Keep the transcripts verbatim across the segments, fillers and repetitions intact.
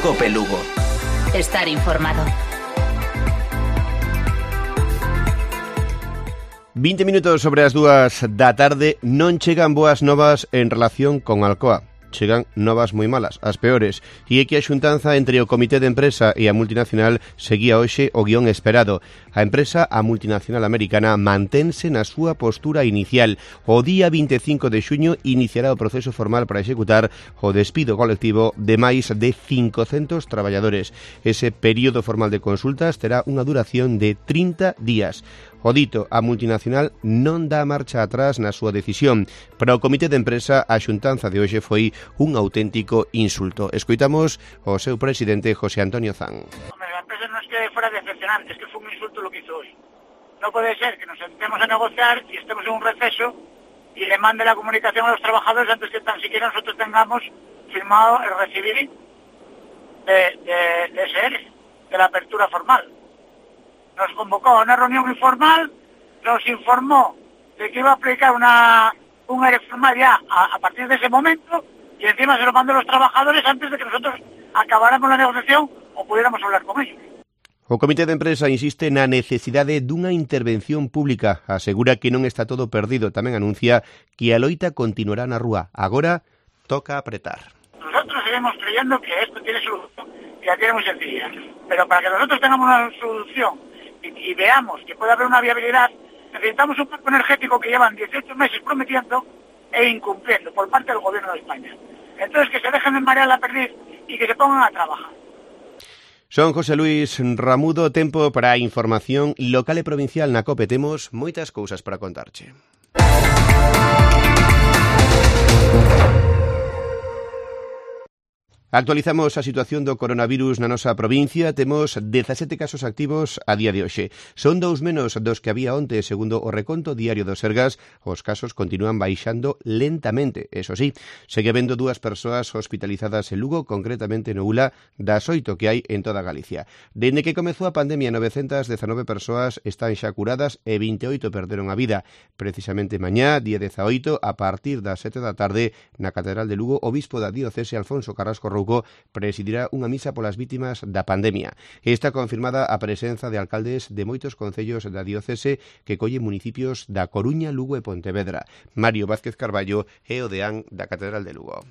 Cope Lugo. Estar informado. vinte minutos sobre as dúas da tarde. Non chegan boas novas en relación con Alcoa. Chegan novas moi malas, as peores, e é que a xuntanza entre o Comité de Empresa e a multinacional seguía hoxe o guión esperado. A empresa, a multinacional americana, mantense na súa postura inicial. O día vinte e cinco de xuño iniciará o proceso formal para executar o despido colectivo de máis de cincocentos traballadores. Ese período formal de consultas terá unha duración de trinta días. O dito, a multinacional non dá marcha atrás na súa decisión. Para o Comité de Empresa, a xuntanza de hoxe foi un auténtico insulto. Escoitamos o seu presidente, José Antonio Zan. Hombre, la empresa no es que fuera decepcionante, es que fue un insulto lo que hizo hoy. No puede ser que nos sentemos a negociar y estemos en un receso y le mande la comunicación a los trabajadores antes que tan siquiera nosotros tengamos firmado el recibir de, de, de ese E R E, de la apertura formal. Nos convocó a una reunión informal, nos informó de que iba a aplicar una, un E R E formal ya a, a partir de ese momento y encima se lo mandó a los trabajadores antes de que nosotros acabáramos la negociación o pudiéramos hablar con ellos. O Comité de Empresa insiste na necesidade dunha intervención pública. Asegura que non está todo perdido. Tamén anuncia que a loita continuará na rúa. Agora toca apretar. Nosotros seguimos creyendo que esto tiene solución y la tiene muy sencilla. Pero para que nosotros tengamos una solución y, y veamos que puede haber una viabilidad, necesitamos un marco energético que llevan dieciocho meses prometiendo e incumpliendo por parte del Gobierno de España. Entonces que se dejen de marear la perdiz y que se pongan a trabajar. Son José Luis Ramudo. Tempo para a información local e provincial na COPE. Temos moitas cousas para contarche. Actualizamos a situación do coronavirus na nosa provincia. Temos dezasete casos activos a día de hoxe. Son dous menos dos que había onte, segundo o reconto diario do Sergas. Os casos continúan baixando lentamente. Eso sí, segue habendo dúas persoas hospitalizadas en Lugo, concretamente no Ula, das oito que hai en toda Galicia. Dende que comezou a pandemia, novecentas dezanove persoas están xa curadas e vinte e oito perderon a vida. Precisamente mañá, día dezaoito, a partir das sete da tarde, na Catedral de Lugo, o bispo da diocese, Alfonso Carrasco Rouco, presidirá unha misa polas vítimas da pandemia. Está confirmada a presenza de alcaldes de moitos concellos da diocese que collen municipios da Coruña, Lugo e Pontevedra. Mario Vázquez Carballo é o deán da Catedral de Lugo.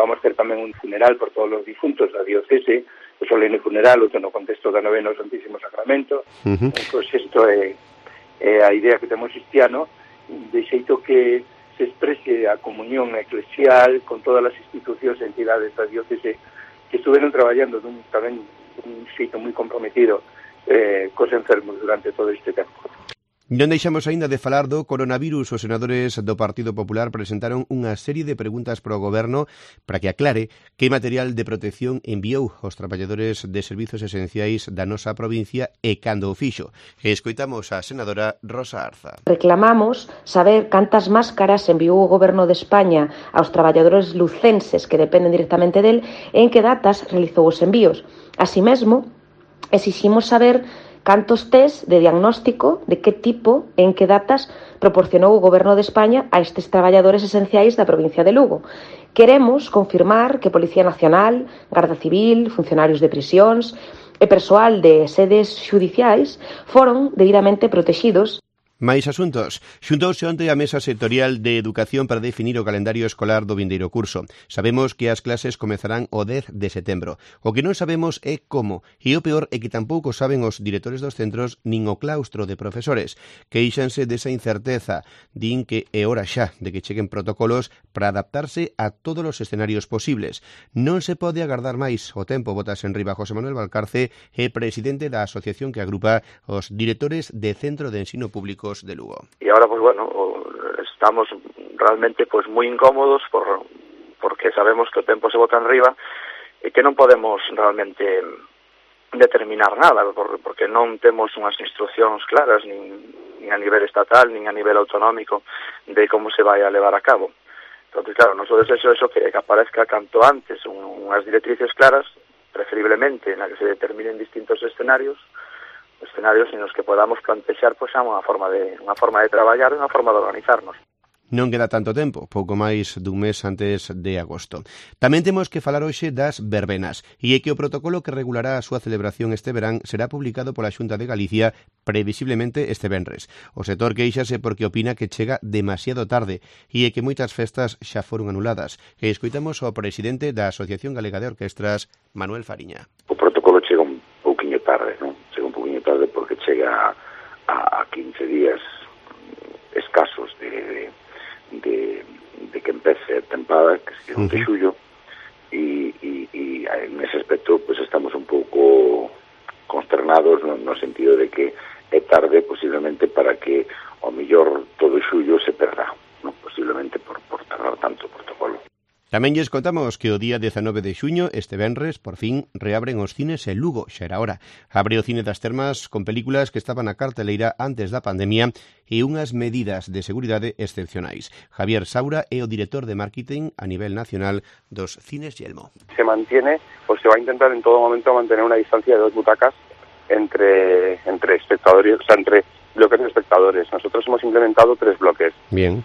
Vamos ter tamén un funeral por todos os difuntos da diocese, o solene funeral, outro no contexto da novena ao Santísimo Sacramento. Uh-huh. Pois isto é, é a idea que temos cristiano, de xeito que se exprese a comunión eclesial con todas as institucións e entidades da diocese que estuveron traballando dun, tamén un xeito moi comprometido eh, cos enfermos durante todo este tempo. Non deixamos aínda de falar do coronavirus. Os senadores do Partido Popular presentaron unha serie de preguntas para o Goberno para que aclare que material de protección enviou aos traballadores de servizos esenciais da nosa provincia e cando o fixo. Escoitamos a senadora Rosa Arza. Reclamamos saber cantas máscaras enviou o Goberno de España aos traballadores lucenses que dependen directamente del e en que datas realizou os envíos. Así mesmo, exiximos saber cantos test de diagnóstico, de que tipo e en que datas proporcionou o Goberno de España a estes traballadores esenciais da provincia de Lugo. Queremos confirmar que Policía Nacional, Garda Civil, funcionarios de prisións e persoal de sedes xudiciais foron debidamente protegidos. Mais asuntos. Xuntouse onte a Mesa Sectorial de Educación para definir o calendario escolar do vindeiro curso. Sabemos que as clases comezarán o dez de setembro. O que non sabemos é como, e o peor é que tampouco saben os directores dos centros nin o claustro de profesores. Queixanse desa incerteza. Din que é hora xa de que cheguen protocolos para adaptarse a todos os escenarios posibles. Non se pode agardar máis. O tempo botas en riba. José Manuel Valcarce é presidente da asociación que agrupa os directores de Centro de Ensino Público de Lugo. Y ahora pues bueno, estamos realmente pues muy incómodos por porque sabemos que o tempo se bota en riba e que non podemos realmente determinar nada, por, porque non temos unhas instruccións claras nin, nin a nivel estatal, nin a nivel autonómico de como se vai a levar a cabo. Entonces, claro, noso desexo é eso, que, que aparezca canto antes un, unhas directrices claras, preferiblemente na que se determinen distintos escenarios, escenarios en los que podamos plantear pues, unha forma de unha forma de traballar e unha forma de organizarnos. Non queda tanto tempo, pouco máis dun mes antes de agosto. Tamén temos que falar hoxe das verbenas, e é que o protocolo que regulará a súa celebración este verán será publicado pola Xunta de Galicia previsiblemente este venres. O sector queixase porque opina que chega demasiado tarde e é que moitas festas xa foron anuladas. E escoitamos ao presidente da Asociación Galega de Orquestras, Manuel Fariña. O protocolo chega un pouquiño tarde, non? Chega un pouquiño tarde porque chega a, a quince días escasos de, de, de que empece a tempada, que se uh-huh. de xullo, e, e, e en ese aspecto pues estamos un pouco consternados no, no sentido de que é tarde posiblemente para que ao mellor todo xullo se perda, non? Posiblemente por, por tardar tanto o protocolo. Tamén lles contamos que o día dezanove de xuño, este venres, por fin, reabren os cines en Lugo, xa era hora. Abre o Cine das Termas con películas que estaban na carteleira antes da pandemia e unhas medidas de seguridade excepcionais. Javier Saura é o director de marketing a nivel nacional dos Cines Yelmo. Se mantiene, o se va a intentar en todo momento mantener una distancia de dos butacas entre, entre espectadores, o sea, entre bloques de espectadores. Nosotros hemos implementado tres bloques. Bien.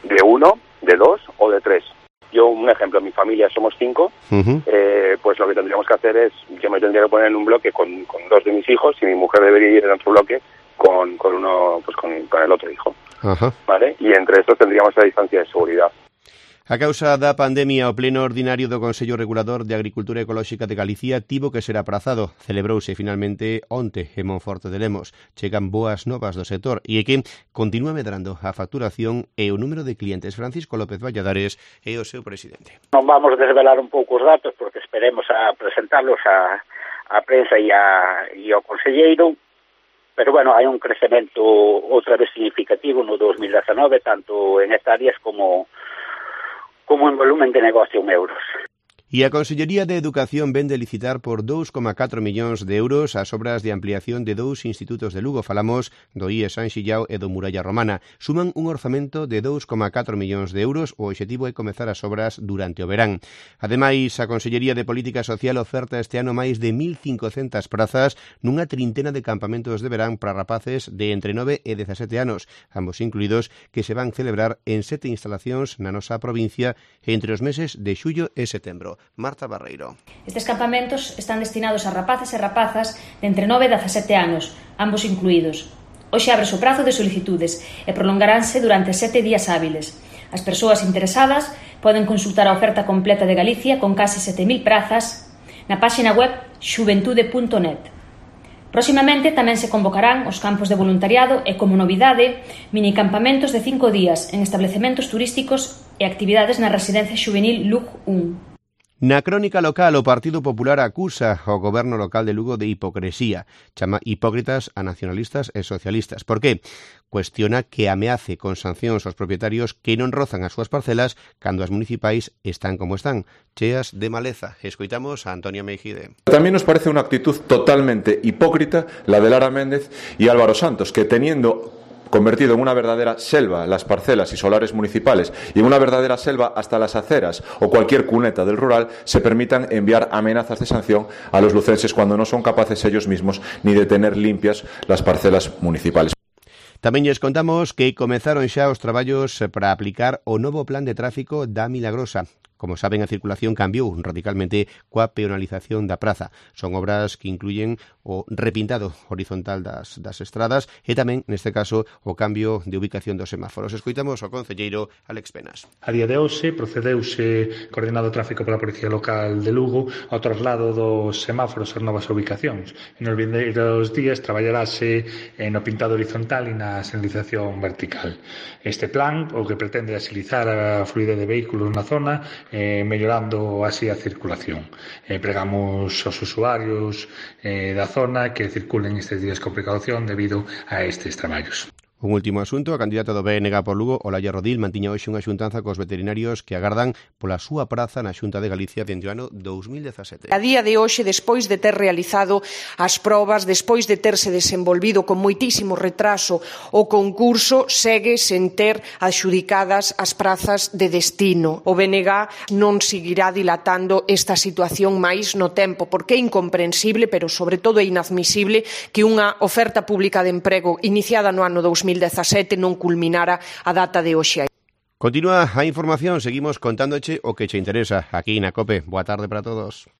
De uno, de dos o de tres. Yo, un ejemplo, mi familia somos cinco, uh-huh. eh, pues lo que tendríamos que hacer es, yo me tendría que poner en un bloque con, con dos de mis hijos y mi mujer debería ir en otro bloque con, con uno, pues con, con el otro hijo, uh-huh. ¿vale? Y entre estos tendríamos la distancia de seguridad. A causa da pandemia, o pleno ordinario do Consello Regulador de Agricultura Ecolóxica de Galicia tivo que ser aprazado. Celebrouse finalmente onte en Monforte de Lemos. Chegan boas novas do sector e é que continúa medrando a facturación e o número de clientes. Francisco López Valladares é o seu presidente. Non vamos desvelar un pouco os datos porque esperemos a presentarlos a, a prensa e, a, e ao conselleiro, pero bueno, hai un crecemento outra vez significativo no dos mil dezenove, tanto en hectáreas como como en volumen de negocio en euros. E a Consellería de Educación vende licitar por dous coma catro millóns de euros as obras de ampliación de dous institutos de Lugo. Falamos do I E San Xillao e do Muralla Romana. Suman un orzamento de dous coma catro millóns de euros. O obxectivo é comezar as obras durante o verán. Ademais, a Consellería de Política Social oferta este ano máis de mil cincocentas prazas nunha trintena de campamentos de verán para rapaces de entre nove e dezasete anos, ambos incluídos, que se van celebrar en sete instalacións na nosa provincia entre os meses de xullo e setembro. Marta Barreiro. Estes campamentos están destinados a rapaces e rapazas de entre nove e dezasete anos, ambos incluídos. Hoxe abre o prazo de solicitudes e prolongaránse durante sete días hábiles. As persoas interesadas poden consultar a oferta completa de Galicia con case sete mil prazas na páxina web xuventude punto net. Próximamente tamén se convocarán os campos de voluntariado e, como novidade, minicampamentos de cinco días en establecementos turísticos e actividades na residencia xuvenil Lug un. Na crónica local, o Partido Popular acusa ao goberno local de Lugo de hipocresía. Chama hipócritas a nacionalistas e socialistas. Por que? Cuestiona que ameace con sancións aos propietarios que non rozan as súas parcelas cando as municipais están como están, cheas de maleza. Escoitamos a Antonio Meijide. Tamén nos parece unha actitud totalmente hipócrita la de Lara Méndez y Álvaro Santos, que teniendo convertido en una verdadera selva las parcelas y solares municipales y en una verdadera selva hasta las aceras o cualquier cuneta del rural, se permitan enviar amenazas de sanción a los lucenses cuando no son capaces ellos mismos ni de tener limpias las parcelas municipales. Tamén lles contamos que comezaron xa os traballos para aplicar o novo plan de tráfico da Milagrosa. Como saben, a circulación cambiou radicalmente coa peonalización da praza. Son obras que incluyen o repintado horizontal das, das estradas e tamén, neste caso, o cambio de ubicación dos semáforos. Escoitamos ao concelleiro Alex Penas. A día de hoxe procedeuse coordinado o tráfico pola Policía Local de Lugo ao traslado dos semáforos ás novas ubicacións. E nos vindeiros días traballarase no pintado horizontal e na señalización vertical. Este plan o que pretende axilizar a fluidez de vehículos na zona, Eh, mellorando así a circulación. Eh, pregamos aos usuarios eh, da zona que circulen estes días con precaución debido a estes traballos. Un último asunto, a candidata do B N G por Lugo, Olaya Rodil, mantiña hoxe unha xuntanza cos veterinarios que agardan pola súa praza na Xunta de Galicia dende o ano dous mil dezasete. A día de hoxe, despois de ter realizado as probas, despois de terse desenvolvido con moitísimo retraso o concurso, segue sen ter adxudicadas as prazas de destino. O B N G non seguirá dilatando esta situación máis no tempo, porque é incomprensible, pero sobre todo é inadmisible que unha oferta pública de emprego iniciada no ano dous mil dezasete non culminara a data de hoxe. Continúa a información, seguimos contándoche o que che interesa aquí na COPE. Boa tarde para todos.